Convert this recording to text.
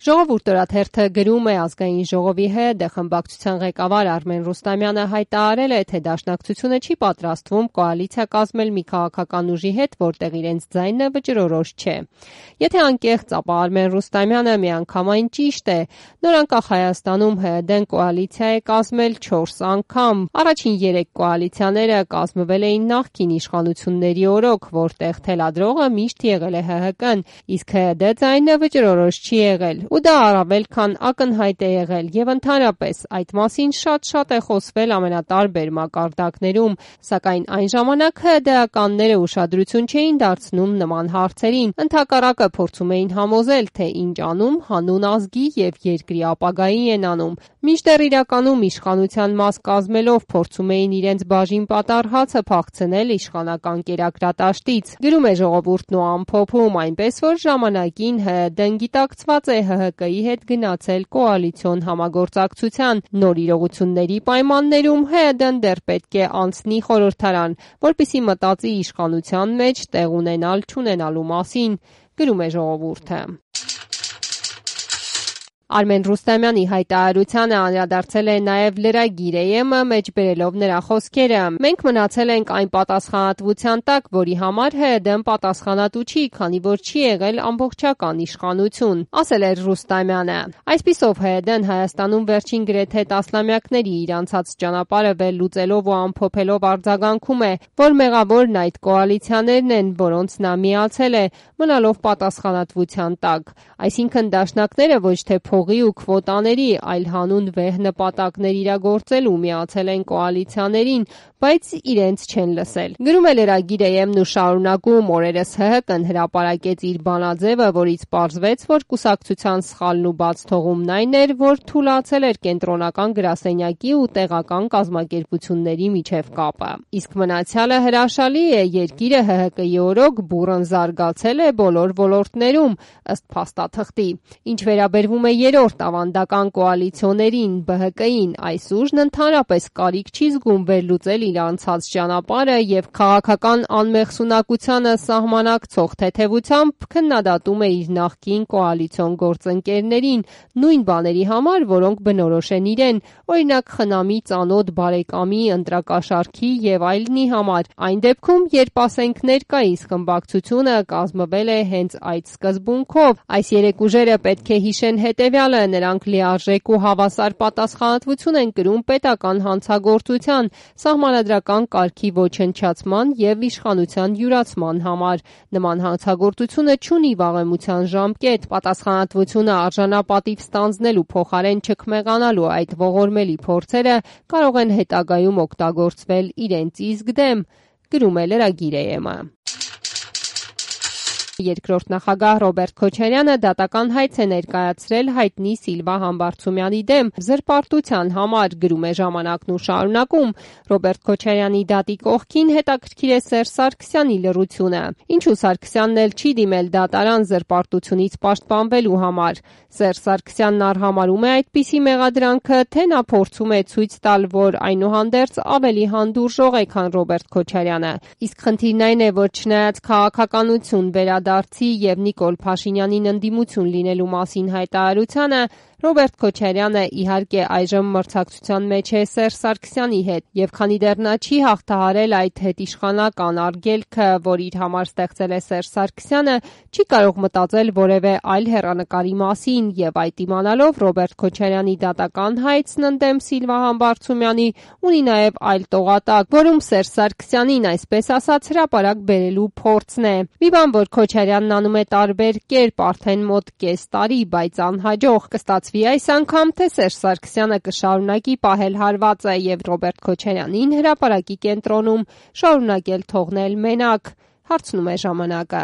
Ժողովուրդ օրաթերթը գրում է ազգային ժողովի ՀՀԴ խմբակցության ղեկավար Արմեն Ռուստամյանը հայտարարել է, թե Դաշնակցությունը չի պատրաստվում կոալիցիա կազմել մի քաղաքական ուժի հետ, որտեղ իրենց ձայնը վճռորոշ չէ։ Եթե անկեղծ, ապա Արմեն Ռուստամյանը միանգամայն ճիշտ է։ Նոր անկախ Հայաստանում ՀՀԴ-ն կոալիցիա է կազմել 4 անգամ։ Առաջին 3 կոալիցիաները կազմվել էին նախկին իշխանությունների օրոք, որտեղ թելադրողը միշտ եղել է ՀՀԿ-ն, իսկ ՀՀԴ ձայնը վճռորոշ չի եղել։ Ու դա առավել քան ակնհայտ է եղել, եւ ընդհանրապես այդ մասին շատ է խոսվել ամենատարբեր մակարդակներում, սակայն այն ժամանակ ՀՀԴ-ականները ուշադրություն չէին դարձնում նման հարցերին, ընդհակառակը փորձում էին համոզել, թե ինչ անում հանուն ազգի եւ երկրի ապագայի են անում, մինչդեռ իրականում իշխանության մաս կազմելով փորձում էին իրենց բաժին պատառ հացը փախցնել իշխանական կերակրատաշտից։ Գրում է Ժողովուրդն ու ամփոփում, այնպես որ ժամանակին ՀՀԴ-ն գիտակցված է ՀՀԿ-ի հետ գնացել կոալիցիոն համագործակցության, նոր իրողությունների պայմաններում ՀՀԴ-ն դեռ պետք է անցնի խորհրդարան, որպեսզի մտածի իշխանության մեջ տեղ ունենալ-չունենալու մասին, գրում է Ժողովուրդը։ Արմեն Ռուստամյանի հայտարարությանը անդրադարձել է նաև Lragir AM-ը, մեջբերելով նրա խոսքերը. «Մենք մնացել ենք այն պատասխանատվության տակ, որի համար ՀՀԴ-ն պատասխանատու չի, քանի որ չի եղել ամբողջական իշխանություն», ասել էր Ռուստամյանը։ Այսպիսով ՀՀԴ-ն Հայաստանում վերջին գրեթե տասնամյակների իր անցած ճանապարհը վերլուծելով ու ամփոփելով արձագանքում է, որ մեղավորն այդ կոալիցիաներն են, որոնց նա միացել է, մնալով պատասխանատվության տակ։ Այսինքն դաշնակները ոչ թե փողի ու քվոտաների, այլ հանուն վեհ նպատակներ իրագործելու միացել են կոալիցիաներին, բայց իրենց չեն լսել։ Գրում է Lragir AM-ն ու շարունակում, օրերս ՀՀԿ-ն հրապարակեց իր բանաձևը, որից պարզվեց, որ կուսակցության սխալն ու բաց թողումն այն էր, որ թուլացել էր կենտրոնական գրասենյակի ու տեղական կազմակերպությունների միջև կապը։ Իսկ մնացյալը հրաշալի է, երկիրը ՀՀԿ-ի օրոք բուռն զարգացել է բոլոր ոլորտներում, ըստ փաստաթղթի։ Ինչ վերաբերվում է երրորդ ավանդական կոալիցիոներին, ԲՀԿ-ին, այս ուժն ընդհանրապես կարիք չի զգում վերլուծել իր անցած ճանապարհը եւ քաղաքական անմեղսունակությանը սահմանակցող թեթևությամբ քննադատում է իր նախկին կոալիցիոն գործընկերներին նույն բաների համար, որոնք բնորոշ են իրեն, օրինակ խնամի ծանոթ բարեկամի ընտրակաշառքի եւ այլնի համար, այն դեպքում, երբ ասենք ներկայիս խմբակցությունը կազմվել է հենց այդ սկզբունքով։ Այս երեք ուժերը պետք է հիշեն հետևյալը, նրանք լիարժեք ու հավասար պատասխանատվություն են կրում պետական հանցագործության, սահմանադրական կարգի ոչնչացման եւ իշխանության յուրացման համար։ Նման հանցագործությունը չունի վաղեմության ժամկետ, պատասխանատվությունը արժանապատիվ ստանձնելու փոխարեն չքմեղանալու այդ ողորմելի փորձերը կարող են հետագայում օգտագործվել իրենց իսկ դեմ, գրում է Lragir AM-ը։ Երկրորդ նախագահ Ռոբերտ Քոչարյանը դատական հայց է ներկայացրել հայտնի Սիլվա Համբարձումյանի դեմ զրպարտության համար, գրում է Ժամանակն ու շարունակում. Ռոբերտ Քոչարյանի դատի կողքին հետաքրքիր է Սերժ Սարգսյանի լռությունը։ Ինչու Սարգսյանն էլ չի դիմել դատարան զրպարտությունից պաշտպանվելու համար։ Սերժ Սարգսյանն արհամարհում է այդպիսի մեղադրանքը, թե նա փորձում է ցույց տալ, որ այնուհանդերձ ավելի հանդուրժող է, քան Ռոբերտ Քոչարյանը։ Իսկ խնդիրն այն է, որ չնայած քաղաքականություն վերադարձի եւ Նիկոլ Փաշինյանին ընդդիմություն լինելու մասին հայտարարությանը, Ռոբերտ Քոչարյանը իհարկե այժմ մրցակցության մեջ է Սերժ Սարգսյանի հետ, եւ քանի դեռ նա չի հաղթահարել այդ հետիշխանական արգելքը, որ իր համար ստեղծել է Սերժ Սարգսյանը, չի կարող մտածել որևէ այլ հեռանկարի մասին, եւ այդ իմանալով Ռոբերտ Քոչարյանի դատական հայցն ընդդեմ Սիլվա Համբարձումյանի ունի նաեւ այլ տողատակ, որում Սերժ Սարգսյանին, այսպես ասած, հրապարակ բերելու փորձն է։ Մի բան, որ Քոչարյանն անում է տարբեր կերպ արդեն մոտ կես տարի, բայց անհաջող, կստացվի այս անգամ, թե Սերժ Սարգսյանը կշարունակի պահել հարվածը եւ Ռոբերտ Քոչարյանին հրապարակի կենտրոնում շարունակել թողնել մենակ, հարցնում է Ժամանակը։